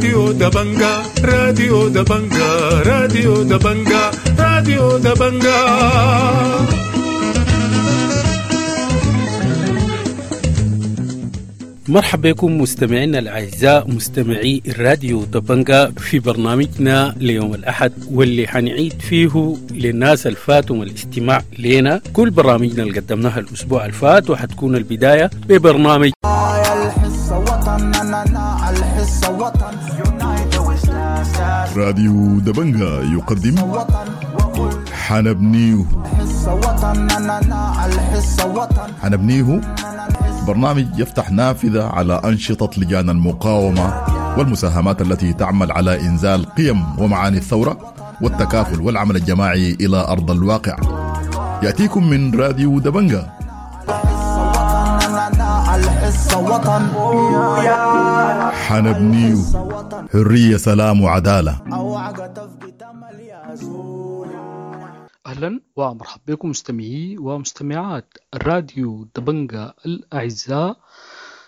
راديو دبنجا، راديو دبنجا، راديو دبنجا، راديو دبنجا. مرحبا بكم مستمعينا الأعزاء مستمعي الراديو دبنجا في برنامجنا ليوم الأحد، واللي حنعيد فيه للناس الفاتهم الاستماع لنا كل برامجنا اللي قدمناها الأسبوع الفات، وحتكون البداية ببرنامج راديو دبنجا يقدم حنبنيه. حنبنيه برنامج يفتح نافذة على أنشطة لجان المقاومة والمساهمات التي تعمل على إنزال قيم ومعاني الثورة والتكافل والعمل الجماعي إلى أرض الواقع. يأتيكم من راديو دبنجا. حنبنيه حرية، سلام وعدالة. أهلا ومرحبا بكم مستمعي ومستمعات الراديو دبنجا الأعزاء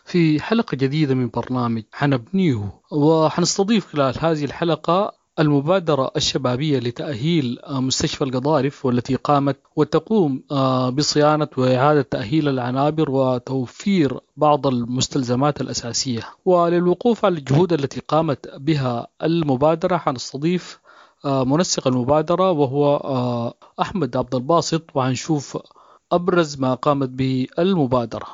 في حلقة جديدة من برنامج حنبنيه، وحنستضيف خلال هذه الحلقة المبادرة الشبابية لتأهيل مستشفى القضارف، والتي قامت وتقوم بصيانة وإعادة تأهيل العنابر وتوفير بعض المستلزمات الأساسية. وللوقوف على الجهود التي قامت بها المبادرة حنستضيف منسق المبادرة وهو أحمد عبد الباسط، وهنشوف أبرز ما قامت به المبادرة.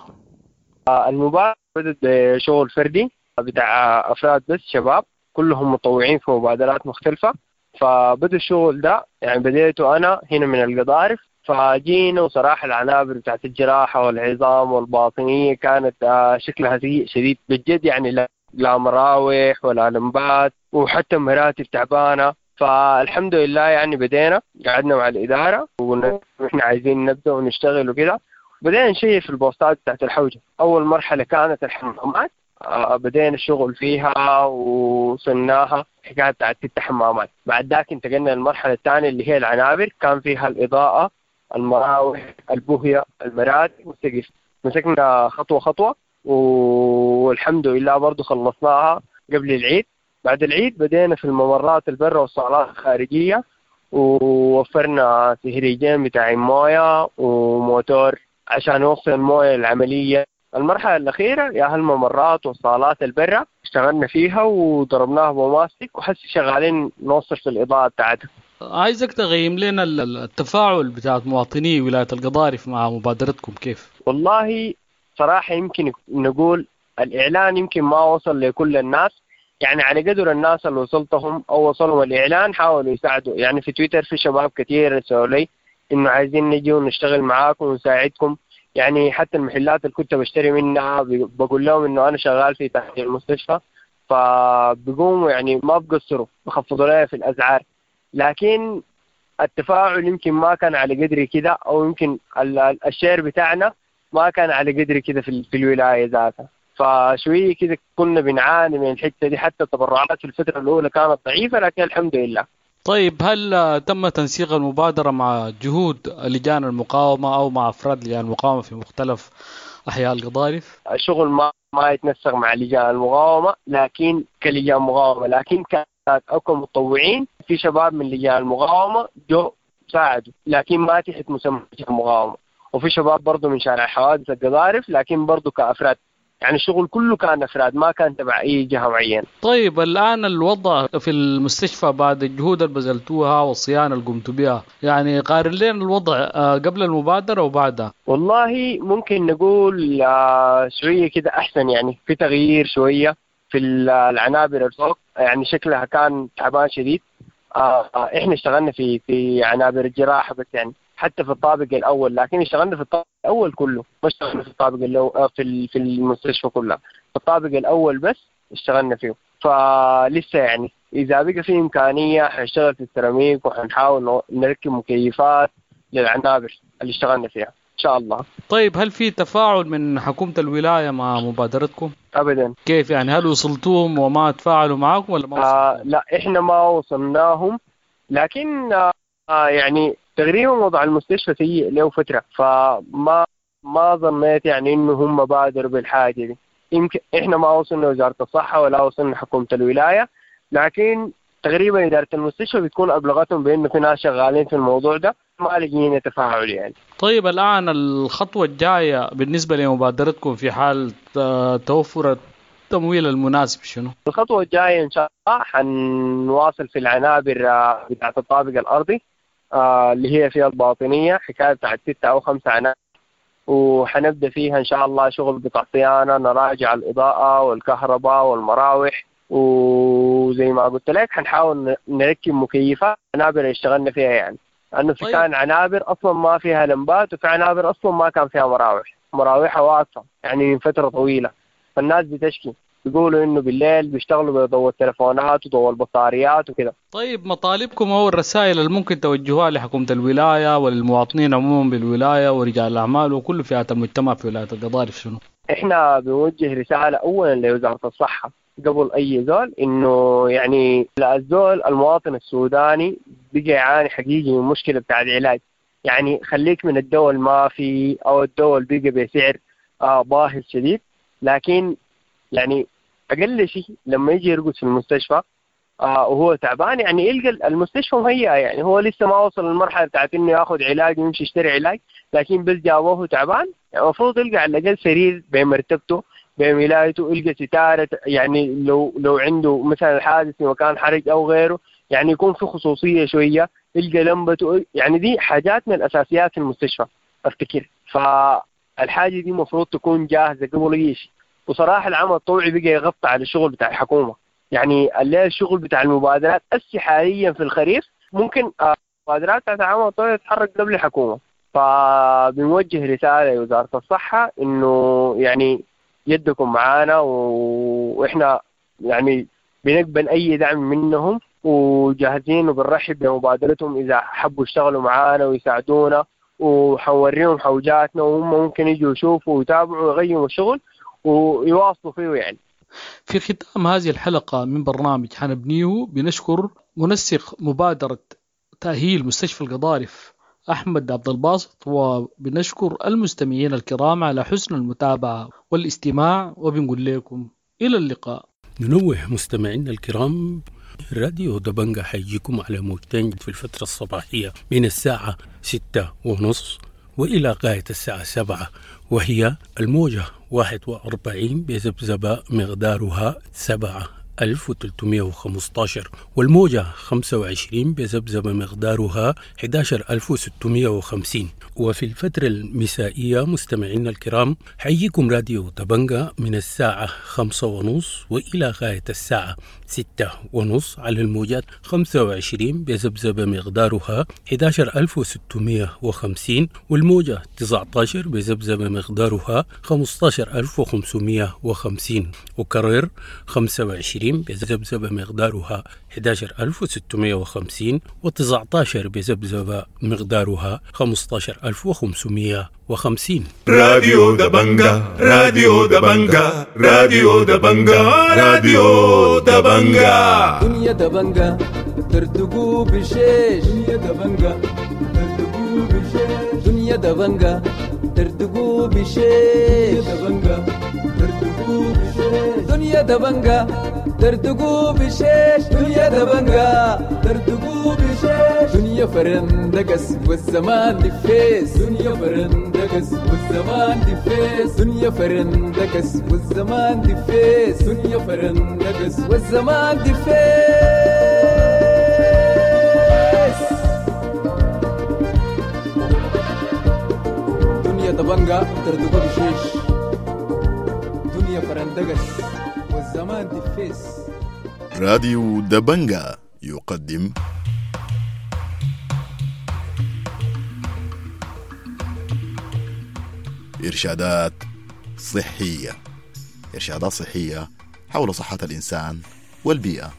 المبادرة بدأت بشغل فردي بتاع أفراد بس، شباب كلهم متطوعين في مبادرات مختلفة. فبدأ الشغل ده، يعني بديته أنا هنا من القضارف. فجينا وصراحة العنابر بتاعت الجراحة والعظام والباطنية كانت شكلها سيء شديد بالجد، يعني لا مراوح ولا لمبات وحتى مراتب تعبانة. فالحمد لله يعني بدينا، قعدنا مع الإدارة ونحن عايزين نبدأ ونشتغل وكده. بدينا نشيء في البوستات بتاعت الحوجة. أول مرحلة كانت الحمامات، بدينا الشغل فيها وصلناها حكاية بتاعت 6 حمامات. بعد ذاك انتقلنا للمرحلة الثانية اللي هي العنابر، كان فيها الإضاءة، المراوح، البوهية، المراتب والسقف. مسكنا خطوة خطوة والحمد لله برضو خلصناها قبل العيد. بعد العيد بدينا في الممرات البرة والصالات الخارجية، ووفرنا سهريجين بتاع موية وموتور عشان يوصل الموية العملية. المرحلة الأخيرة يا هالممرات والصالات البرة اشتغلنا فيها وضربناها بماستيك، وحس شغالين نوصل في الإضاءة بتاعتها. عايزك تغيم لنا التفاعل بتاعت مواطني ولاية القضارف مع مبادرتكم كيف؟ والله صراحة يمكن نقول الإعلان يمكن ما وصل لكل الناس، يعني على قدر الناس اللي وصلتهم أو وصلهم الإعلان حاولوا يساعدوا. يعني في تويتر في شباب كتير رسلوا لي إنه عايزين نجي ونشتغل معاكم ونساعدكم. يعني حتى المحلات اللي كنت بشتري منها بقول لهم إنه أنا شغال في تحت المستشفى، فبقوموا يعني ما بقصروا، بخفضوا لي في الأسعار. لكن التفاعل يمكن ما كان على قدر كده، أو يمكن الشير بتاعنا ما كان على قدر كده في الولاية ذاتها. فشوية كده كنا بنعاني من الحتة دي، حتى التبرعات في الفترة الأولى كانت ضعيفة، لكن الحمد لله. طيب، هل تم تنسيق المبادرة مع جهود لجان المقاومة أو مع أفراد لجان المقاومة في مختلف أحياء القضارف؟ الشغل ما يتنسق مع لجان المقاومة، لكن كلجان مقاومة، لكن كانت أو كمتطوعين في شباب من لجان المقاومة جو ساعدوا، لكن ما تحت مسمى لجان المقاومة. وفي شباب برضو من شارع حوادث القضارف، لكن برضو كأفراد. يعني الشغل كله كان أفراد، ما كان تبع أي جهة معينة. طيب، الآن الوضع في المستشفى بعد الجهود اللي بذلتوها والصيانة اللي قمتوا بها، يعني قارن لنا الوضع قبل المبادرة وبعدها. والله ممكن نقول شوية كده أحسن، يعني في تغيير شوية في العنابر الفوق، يعني شكلها كان تعبان شديد. إحنا اشتغلنا في عنابر الجراحة بس، يعني حتى في الطابق الأول، لكن اشتغلنا في الطابق الأول كله، ما اشتغلنا في الطابق الأول في المستشفى كلها، في الطابق الأول بس اشتغلنا فيه. فلسه يعني إذا بقى في إمكانية حنشتغل في السيراميك، وحنحاول نركب مكيفات للعنابر اللي اشتغلنا فيها إن شاء الله. طيب، هل في تفاعل من حكومة الولاية مع مبادرتكم؟ أبدا. كيف يعني؟ هل وصلتوهم وما تفاعلوا معاكم ولا ما وصلتوهم؟ لا، إحنا ما وصلناهم، لكن يعني تقريبا وضع المستشفى سيء له فترة، فما ما ظنيت يعني إنه هم بادروا بالحاجة دي. يمكن احنا ما وصلنا وزارة الصحة ولا وصلنا حكومة الولاية، لكن تقريبا إدارة المستشفى بتكون أبلغتهم بأنه في ناس شغالين في الموضوع ده، ما لقينا تفاعل يعني. طيب الآن الخطوة الجاية بالنسبة لمبادرتكم في حال توفر التمويل المناسب شنو؟ الخطوة الجاية إن شاء الله حنواصل في العنابر بتاعة الطابق الأرضي اللي هي فيها الباطنية، حكاية بتاعت 6 أو 5 عنابر، وحنبدأ فيها إن شاء الله شغل بتاع صيانة، نراجع الإضاءة والكهرباء والمراوح، وزي ما قلت لك حنحاول نركب مكيفات عنابر اللي اشتغلنا فيها يعني، لأنه في كان عنابر أصلا ما فيها لمبات، وفي عنابر أصلا ما كان فيها مراوح، مراوحها واقفة يعني من فترة طويلة. فالناس بتشكي، بيقولوا إنه بالليل بيشتغلوا بضوء التلفونات وضوء البطاريات وكده. طيب مطالبكم أو الرسائل اللي ممكن توجهوها لحكومة الولاية وللمواطنين عموما بالولاية ورجال الأعمال وكل فئات المجتمع في ولاية القضارف شنو؟ إحنا بنوجه رسالة أولا لوزارة الصحة قبل أي زول، إنه يعني الزول المواطن السوداني بقى يعاني حقيقي من مشكلة بتاع العلاج. يعني خليك من الدواء ما في أو الدواء بقى بسعر باهظ شديد، لكن يعني أقل شيء لما يجي يرقد في المستشفى وهو تعبان يعني يلقى المستشفى مهيئة، يعني هو لسه ما وصل للمرحلة بتاعت إنه ياخذ علاج ويمشي يشتري علاج، لكن بس جابوه تعبان يعني المفروض يلقى على الأقل سرير بمرتبته بولايته، يلقى ستارة، يعني لو عنده مثلا حادث في مكان حرج أو غيره يعني يكون في خصوصية شوية، يلقى لمبته، يعني دي حاجات من الأساسيات في المستشفى أفتكر. فالحاجة دي مفروض تكون جاهزة قبل أي شيء. وصراحة العمل الطوعي بقى يغطي على الشغل بتاع الحكومة، يعني اللي الشغل بتاع المبادرات أسي حاليا في الخريف ممكن المبادرات بتاعت العمل الطوعي تتحرك قبل الحكومة. فبنوجه رسالة لوزارة الصحة إنه يعني يدكم معانا، وإحنا يعني بنقبل أي دعم منهم وجاهزين، وبنرحب بمبادرتهم إذا حبوا يشتغلوا معانا ويساعدونا، وحنوريهم حوجاتنا، وهم ممكن يجوا يشوفوا ويتابعوا ويغيروا الشغل ويواصلوا فيه يعني. في ختام هذه الحلقة من برنامج حنبنيه بنشكر منسق مبادرة تأهيل مستشفى القضارف أحمد عبد الباسط، وبنشكر المستمعين الكرام على حسن المتابعة والاستماع، وبنقول لكم إلى اللقاء. ننوه مستمعينا الكرام، راديو دبنجا حيجيكم على موجتين في الفترة الصباحية من الساعة 6:30 وإلى غاية الساعة 7، وهي الموجة 41 بذبذبة مقدارها 7315، والموجة 25 بذبذبة مقدارها 11650. وفي الفترة المسائية مستمعينا الكرام حييكم راديو دبنجا من الساعة 5:30 وإلى غاية الساعة 6:30 على الموجات 25 بذبذبة مقدارها 11650، والموجة 19 بذبذبة مقدارها 15550، وكرر 25 بذبذبة مقدارها 11650 و19 بذبذبة مقدارها 15550. راديو دبنجا، راديو دبنجا، راديو دبنجا، راديو دبنجا. دنيا دبنجا ترتقو بشيش، دنيا دبنجا ترتقو بشيش، دنيا دبنجا ترتقو بشيش، دبنجا ترتقو بشيش، دنيا دبنجا ترتقو بشيش، دنيا دبنجا ترتقو بشيش، دنيا فرندقس والزمان دفيس، دنيا فرندقس والزمان دفيس، دنيا فرندقس والزمان دفيس، دنيا فرندقس والزمان دفيس. دنيا دبنجا ترتقو بشيش، دنيا فرندقس والزمان دفيس. راديو دبنجا يقدم إرشادات صحية، إرشادات صحية حول صحة الإنسان والبيئة.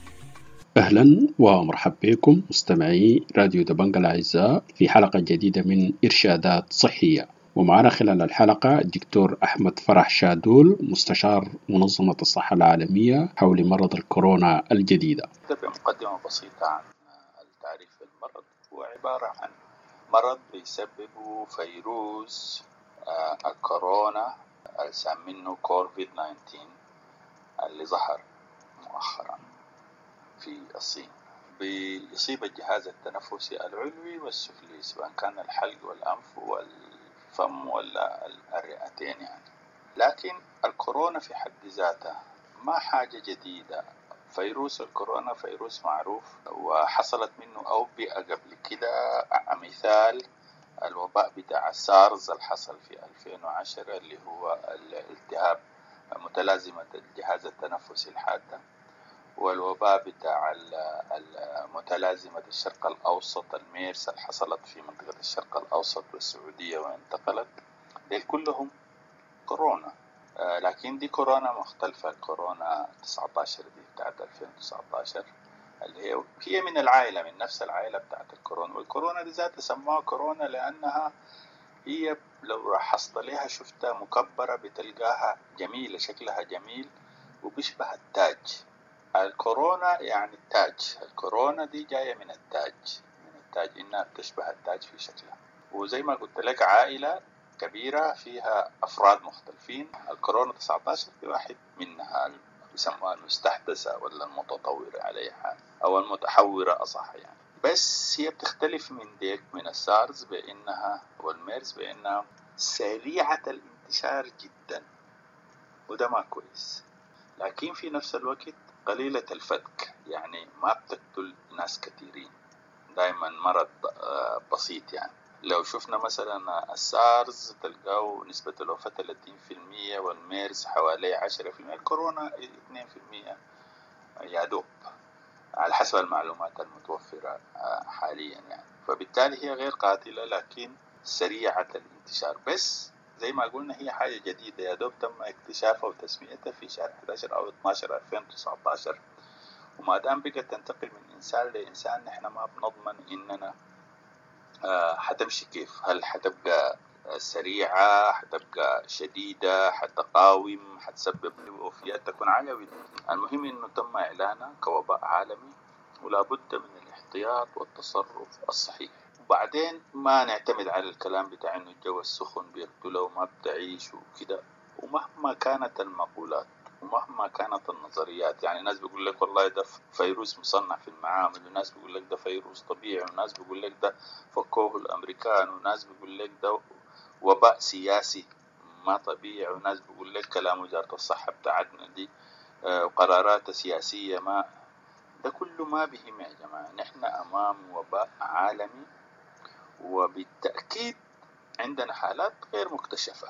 أهلا ومرحبا بكم مستمعي راديو دبنجا الأعزاء في حلقة جديدة من إرشادات صحية، ومعنا خلال الحلقة الدكتور أحمد فرح شادول مستشار منظمة الصحة العالمية حول مرض الكورونا الجديدة. بمقدمة بسيطة عن التعريف بالمرض، هو عبارة عن مرض بيسببه فيروس الكورونا سامينه كوفيد 19 اللي ظهر مؤخرا في الصين. بيصيب الجهاز التنفسي العلوي والسفلي، سواء كان الحلق والأنف والفم ولا الرئتين يعني. لكن الكورونا في حد ذاتها ما حاجة جديدة. فيروس الكورونا فيروس معروف وحصلت منه أوبئة قبل كده. مثال الوباء بتاع سارز اللي حصل في 2010 اللي هو الالتهاب متلازمة الجهاز التنفسي الحادة، والوباء بتاع متلازمة الشرق الأوسط الميرس اللي حصلت في منطقة الشرق الأوسط والسعودية وانتقلت. ديل كلهم كورونا، لكن دي كورونا مختلفة. كورونا 19 دي بتاعت 2019 اللي هي من العائلة، من نفس العائلة بتاعت الكورونا. والكورونا دي ذاتها سموها كورونا لأنها هي لو لاحظت لها شفتها مكبرة بتلقاها جميلة، شكلها جميل وبيشبه التاج. الكورونا يعني التاج، الكورونا دي جاية من التاج، من التاج، إنها بتشبه التاج في شكلها. وزي ما قلت لك عائلة كبيرة فيها أفراد مختلفين. الكورونا 19 في واحد منها بيسموها المستحدثة ولا المتطورة عليها أو المتحورة أصح يعني. بس هي بتختلف من ديك من السارز بأنها والميرز بأنها سريعة الانتشار جدا، وده ما كويس، لكن في نفس الوقت قليلة الفتك، يعني ما بتقتل ناس كثيرين، دائما مرض بسيط يعني. لو شفنا مثلا السارز تلقاه نسبة الوفاة 30%، والميرز حوالي 10%، الكورونا 2% يا دوب على حسب المعلومات المتوفرة حاليا يعني. فبالتالي هي غير قاتلة لكن سريعة الانتشار. بس زي ما قلنا هي حاجة جديدة، يا دوب تم اكتشافها وتسميتها في شهر 11 أو 12 2019، وما دام بقت تنتقل من إنسان لإنسان نحن ما بنضمن إننا حتمشي كيف، هل حتبقى سريعة، حتبقى شديدة، حتقاوم، حتسبب وفيات تكون عالية. المهم إنه تم إعلانها كوباء عالمي، ولا بد من الاحتياط والتصرف الصحيح. وبعدين ما نعتمد على الكلام بتاع إنه الجو السخن بيقتله وما بتعيش وكده، ومهما كانت المقولات ومهما كانت النظريات. يعني ناس بيقول لك والله ده فيروس مصنع في المعامل، وناس بيقول لك ده فيروس طبيعي، وناس بيقول لك ده فكوه الأمريكان، وناس بيقول لك ده وباء سياسي ما طبيعي، وناس بيقول لك كلام وزارة الصحة بتاعتنا دي وقرارات سياسية. ما ده كله ما بهم يا جماعة. نحن أمام وباء عالمي، وبالتأكيد عندنا حالات غير مكتشفة.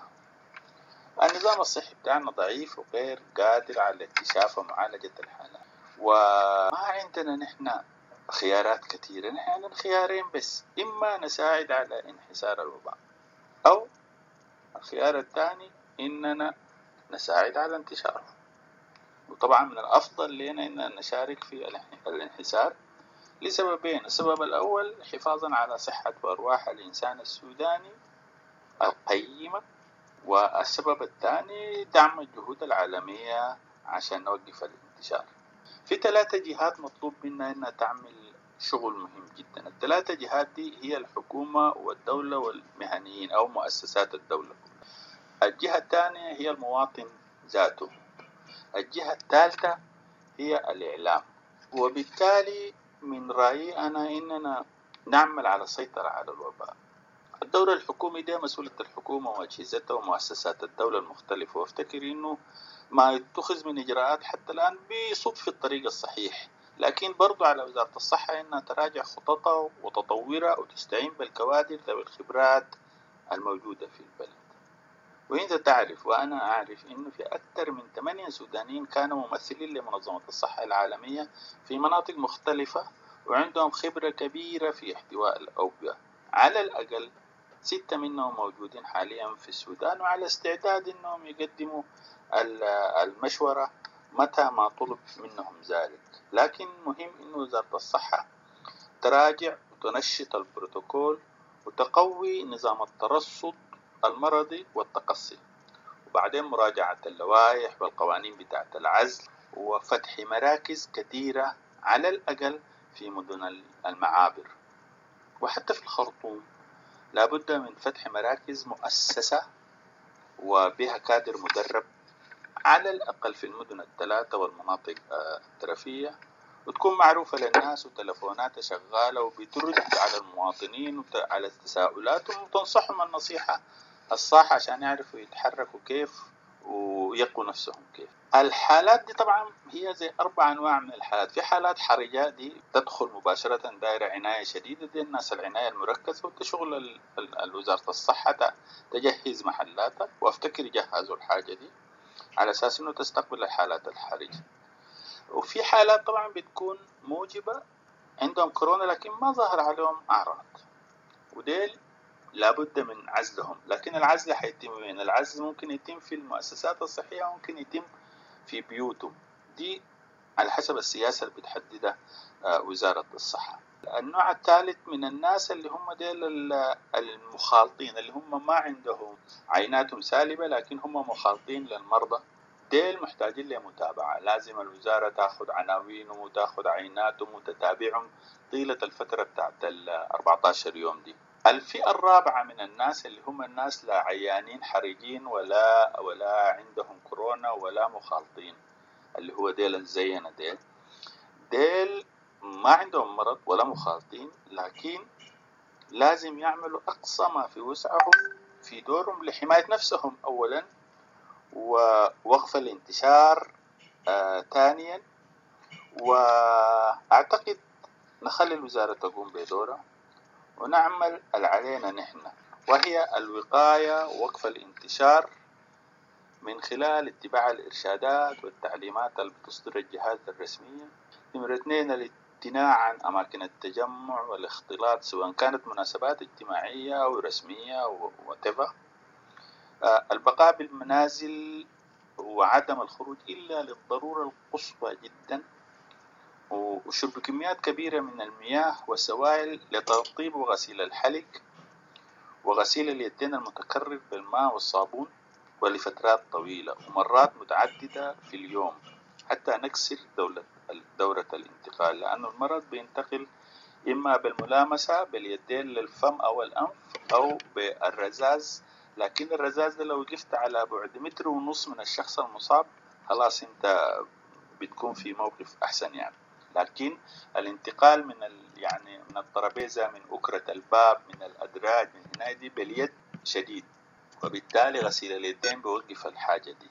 النظام الصحي بتاعنا ضعيف وغير قادر على اكتشاف ومعالجة الحالات، وما عندنا نحن خيارات كثيرة. نحن عندنا خيارين بس، إما نساعد على انحسار الوباء، أو الخيار الثاني إننا نساعد على انتشاره. وطبعا من الأفضل لنا إننا نشارك في الانحسار لسببين. السبب الأول حفاظا على صحة وأرواح الإنسان السوداني القيمة، والسبب الثاني دعم الجهود العالمية عشان نوقف الانتشار. في 3 جهات مطلوب منا إنها تعمل شغل مهم جدا. ال3 جهات دي هي الحكومة والدولة والمهنيين أو مؤسسات الدولة. الجهة الثانية هي المواطن ذاته. الجهة الثالثة هي الإعلام. وبالتالي من رأيي أنا إننا نعمل على السيطرة على الوباء. الدور الحكومي ده مسؤولية الحكومة وأجهزتها ومؤسسات الدولة المختلفة، وافتكر إنه ما يتخذ من إجراءات حتى الآن بيصب في الطريق الصحيح، لكن برضو على وزارة الصحة إنها تراجع خططها وتطورها وتستعين بالكوادر ذوي الخبرات الموجودة في البلد. وإنت تعرف وأنا أعرف إنه في أكثر من 8 سودانيين كانوا ممثلين لمنظمة الصحة العالمية في مناطق مختلفة وعندهم خبرة كبيرة في احتواء الأوبئة. على الأقل 6 منهم موجودين حاليا في السودان وعلى استعداد إنهم يقدموا المشورة متى ما طلب منهم ذلك. لكن مهم إنه وزارة الصحة تراجع وتنشط البروتوكول وتقوي نظام الترصد المرضي والتقصي، وبعدين مراجعة اللوائح والقوانين بتاعة العزل، وفتح مراكز كثيرة على الأقل في مدن المعابر وحتى في الخرطوم. لابد من فتح مراكز مؤسسة وبها كادر مدرب على الأقل في المدن الثلاثة والمناطق الترفية، وتكون معروفة للناس وتلفوناتها شغالة وبترد على المواطنين وعلى تساؤلاتهم وتنصحهم النصيحة الصح عشان يعرفوا يتحركوا كيف ويقوا نفسهم كيف. الحالات دي طبعا هي زي 4 أنواع من الحالات. في حالات حرجة دي تدخل مباشرة دائرة عناية شديدة، دي الناس العناية المركزة، وتشغل وزارة الصحة تجهز محلاتها، وافتكر يجهزوا الحاجة دي على أساس إنه تستقبل الحالات الحرجة. وفي حالات طبعا بتكون موجبة عندهم كورونا لكن ما ظهر عليهم أعراض، وديل لابد من عزلهم. لكن العزل حيتم وين؟ العزل ممكن يتم في المؤسسات الصحية، ممكن يتم في بيوتهم، دي على حسب السياسة اللي بتحددها وزارة الصحة. النوع الثالث من الناس اللي هم ديل المخالطين، اللي هم ما عندهم عيناتهم سالبة لكن هم مخالطين للمرضى، ديل محتاجين لمتابعة، لازم الوزارة تأخذ عناوينهم وتأخذ عيناتهم وتتابعهم طيلة الفترة بتاعت ال 14 يوم دي. الفئة الرابعة من الناس اللي هم الناس لا عيانين حرجين ولا عندهم كورونا ولا مخالطين، اللي هو ديل الزينة، ديل ما عندهم مرض ولا مخالطين، لكن لازم يعملوا أقصى ما في وسعهم في دورهم لحماية نفسهم أولا، ووقف الانتشار ثانيا. وأعتقد نخلي الوزارة تقوم بدورها ونعمل اللي علينا نحن، وهي الوقاية ووقف الانتشار من خلال اتباع الإرشادات والتعليمات اللي بتصدر الجهات الرسمية. نمرة 2 الامتناع عن أماكن التجمع والاختلاط سواء كانت مناسبات اجتماعية أو رسمية أو whatever. البقاء بالمنازل وعدم الخروج إلا للضرورة القصوى جدا، وشرب كميات كبيرة من المياه والسوائل لترطيب وغسيل الحلق وغسيل اليدين المتكرر بالماء والصابون ولفترات طويلة ومرات متعددة في اليوم حتى نكسر دورة الانتقال، لأنه المرض بينتقل إما بالملامسة باليدين للفم أو الأنف أو بالرذاذ، لكن الرذاذ ده لو وقفت على بعد 1.5 متر من الشخص المصاب خلاص أنت بتكون في موقف أحسن يعني. لكن الانتقال من يعني من الترابيزة، من أكرة الباب، من الأدراج، من هنا دي باليد شديد، وبالتالي غسيل اليدين بيوقف الحاجة دي.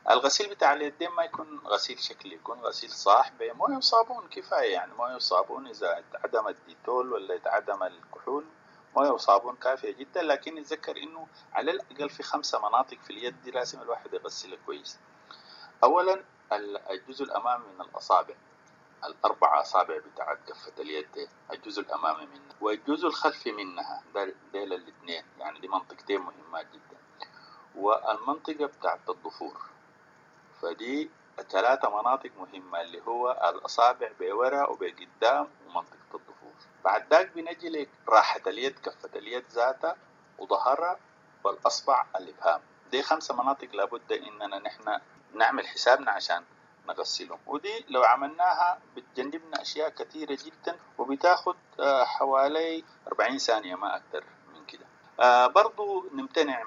الغسيل بتاع اليدين ما يكون غسيل شكلي، يكون غسيل صح بمويه وصابون كفاية، يعني مويه وصابون إذا اتعدم الديتول ولا اتعدم الكحول مويه وصابون كافية جدا. لكن نتذكر إنه على الأقل في 5 مناطق في اليد دي لازم الواحد يغسلها كويس. أولا الجزء الأمامي من الأصابع، ال4 أصابع بتاعت كفة اليد دي، الجزء الأمامي منها والجزء الخلفي منها، ديل الاثنين يعني دي منطقتين مهمات جدا، والمنطقة بتاعت الضفور. فدي 3 مناطق مهمة اللي هو الأصابع بورا وبقدام ومنطقة الضفور. بعد ذاك بنجي لراحة اليد، كفة اليد ذاتها وظهرها والأصبع الإبهام. دي 5 مناطق لابد إننا نحن نعمل حسابنا عشان نغسلهم، ودي لو عملناها بتجنبنا أشياء كثيرة جدا، وبتاخد حوالي 40 ثانية ما أكثر من كده. برضو نمتنع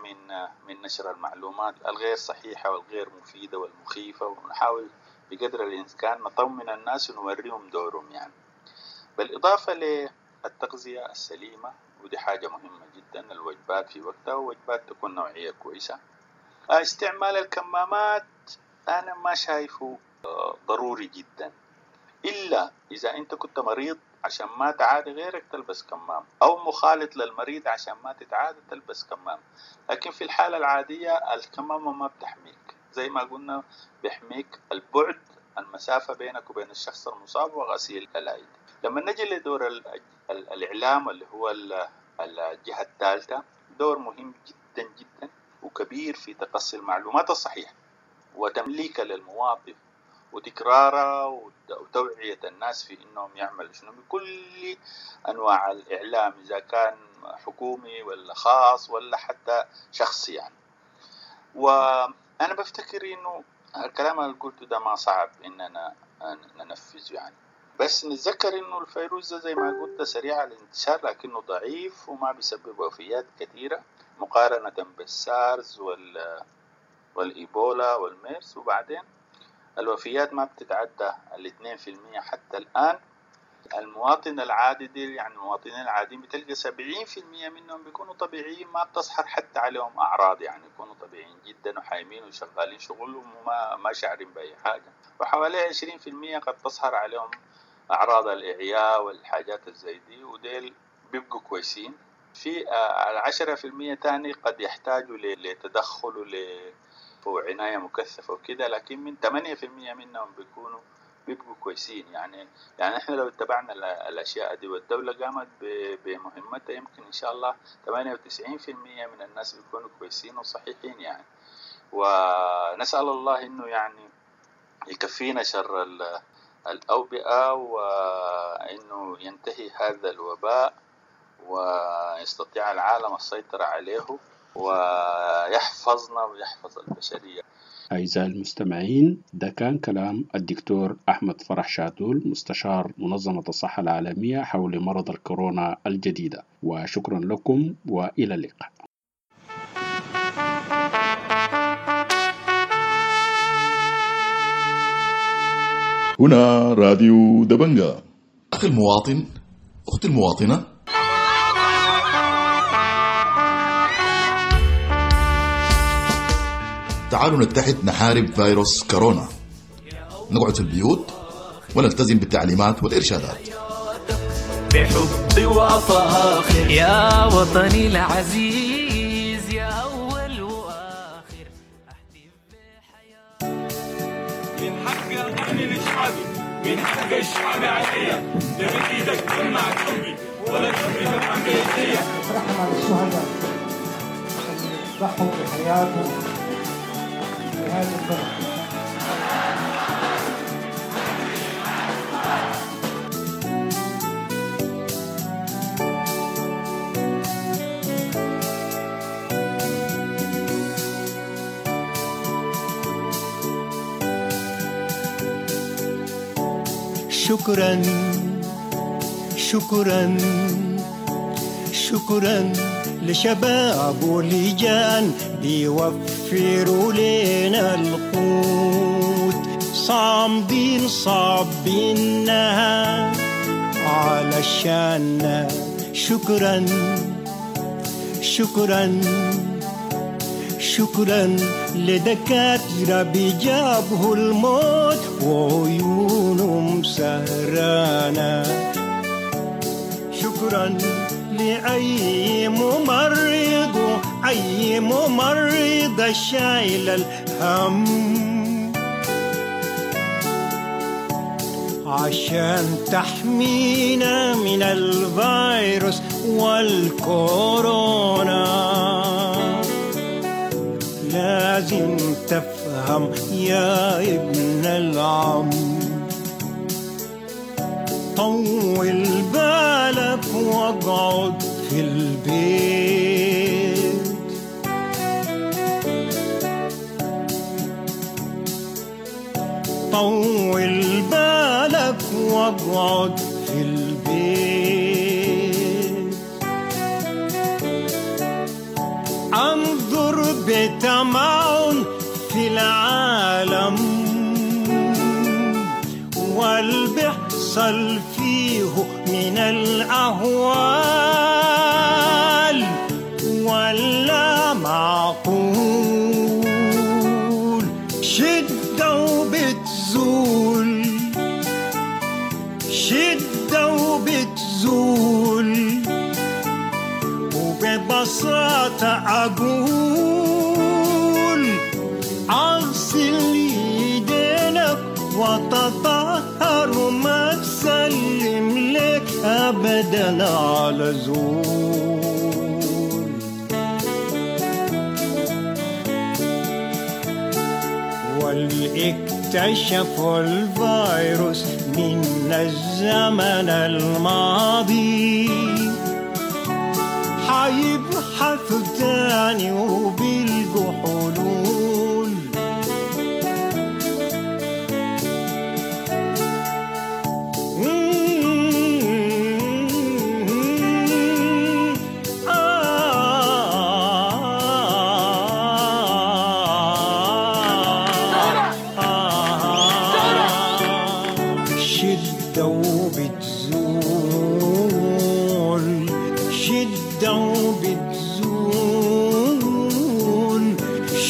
من نشر المعلومات الغير صحيحة والغير مفيدة والمخيفة، ونحاول بقدر الإمكان نطمن الناس ونوريهم دورهم يعني. بالإضافة للتغذية السليمة، ودي حاجة مهمة جدا، الوجبات في وقتها ووجبات تكون نوعية كويسة. استعمال الكمامات أنا ما شايفه ضروري جدا، إلا إذا أنت كنت مريض عشان ما تعادي غيرك تلبس كمام، أو مخالط للمريض عشان ما تتعادى تلبس كمام. لكن في الحالة العادية الكمامة ما بتحميك، زي ما قلنا بيحميك البعد، المسافة بينك وبين الشخص المصاب، وغسيل الأيدي. لما نجي لدور الإعلام اللي هو الجهة الثالثة، دور مهم جدا جدا وكبير في تقصي المعلومات الصحيحة وتمليكها للمواطن وتكرارها وتوعية الناس في إنهم يعملوا شنو بكل أنواع الإعلام، إذا كان حكومي ولا خاص ولا حتى شخصي يعني. وأنا بفتكر إنه الكلام اللي قلته ده ما صعب إننا ننفذه يعني، بس نتذكر إنه الفيروس ده زي ما قلت سريع الانتشار لكنه ضعيف وما بيسبب وفيات كثيرة. مقارنة بالسارز والإيبولا والميرس. وبعدين الوفيات ما بتتعدى 2% حتى الآن. المواطن العادي دي يعني المواطنين العاديين بتلقى 70% منهم بيكونوا طبيعيين، ما بتظهر حتى عليهم أعراض، يعني يكونوا طبيعيين جدا وحايمين وشغالين شغلهم وما ما شاعرين بأي حاجة. وحوالي 20% قد تظهر عليهم أعراض الإعياء والحاجات الزي دي، وديل بيبقوا كويسين. في 10% تاني قد يحتاجوا لتدخل وعناية مكثفة وكده، لكن من 8% منهم بيبقوا كويسين. يعني احنا لو اتبعنا الاشياء دي والدولة قامت بمهمتها، يمكن ان شاء الله 98% من الناس بيكونوا كويسين وصحيحين يعني. ونسأل الله انه يعني يكفينا شر الأوبئة، وانه ينتهي هذا الوباء ويستطيع العالم السيطرة عليه ويحفظنا ويحفظ البشرية. أعزائي المستمعين، ده كان كلام الدكتور أحمد فرح شادول، مستشار منظمة الصحة العالمية حول مرض الكورونا الجديدة. وشكرا لكم وإلى اللقاء. هنا راديو دبنجا. أخي المواطن، أختي المواطنة، تعالوا نتحد نحارب فيروس كورونا. نقعد في البيوت ونلتزم بالتعليمات والإرشادات. بحب وفاخر يا وطني العزيز، يا أول وآخر. أحلف بحياتي من حق أغني لشعبي، من حق الشعب عليا، لا بإيدك تمنع قلبي ولا تمنع بإيديا. رحمة للشهداء اللي ضحوا بحياتهم هذا البلد. شكرا شكرا شكرا لشباب ولجان بيوفروا لنا القوت، صامدين صابينها علشان. شكرا شكرا شكرا لدكاترة بيجابهوا الموت وعيونهم سهرانة. شكرا لأي ممرض، أي ممرضة شايل الهم عشان تحمينا من الفيروس والكورونا. لازم تفهم يا ابن العم، طول بالك واقعد في البيت. طول بالك واقعد في البيت. انظر بتمعن في العالم والبحصل فيه من الأهوال ولا معقول. شدة وبتزول، شدة وبتزول، وببساطة أقول أغسل يدينك وتطهر وما تسلم لك أبدا على زول. واللي اكتشفوا الفيروس من الزمن الماضي حيبحثوا تاني وبيلقوا حلول. آه.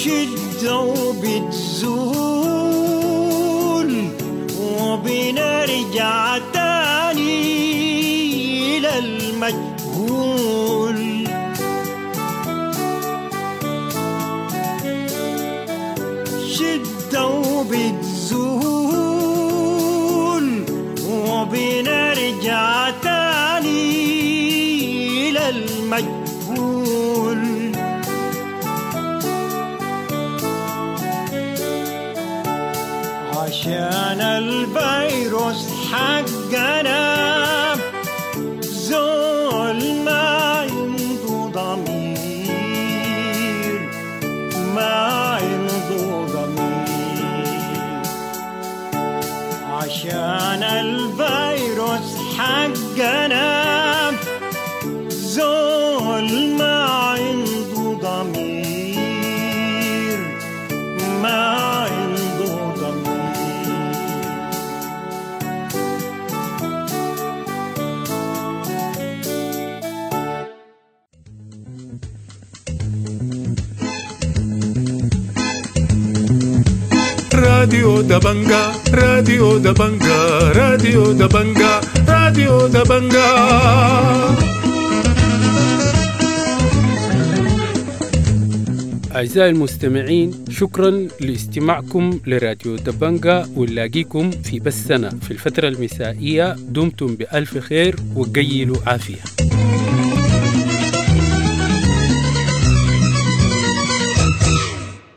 شدة وبتزول وبنرجع تاني للمجهول. شدة وبتزول وبنرجع تاني للمجهول. عشان الفيروس حقنا زول ما عنده ضمير، ما عنده ضمير. عشان الفيروس حقنا زول ما عنده ضمير، ما عنده ضمير. راديو دبنجا، راديو دبنجا، راديو دبنجا، راديو دبنجا. أعزائي المستمعين، شكرا لاستماعكم لراديو دبنجا، ونلاقيكم في بثنا في الفترة المسائية. دمتم بألف خير وقيلوا عافية.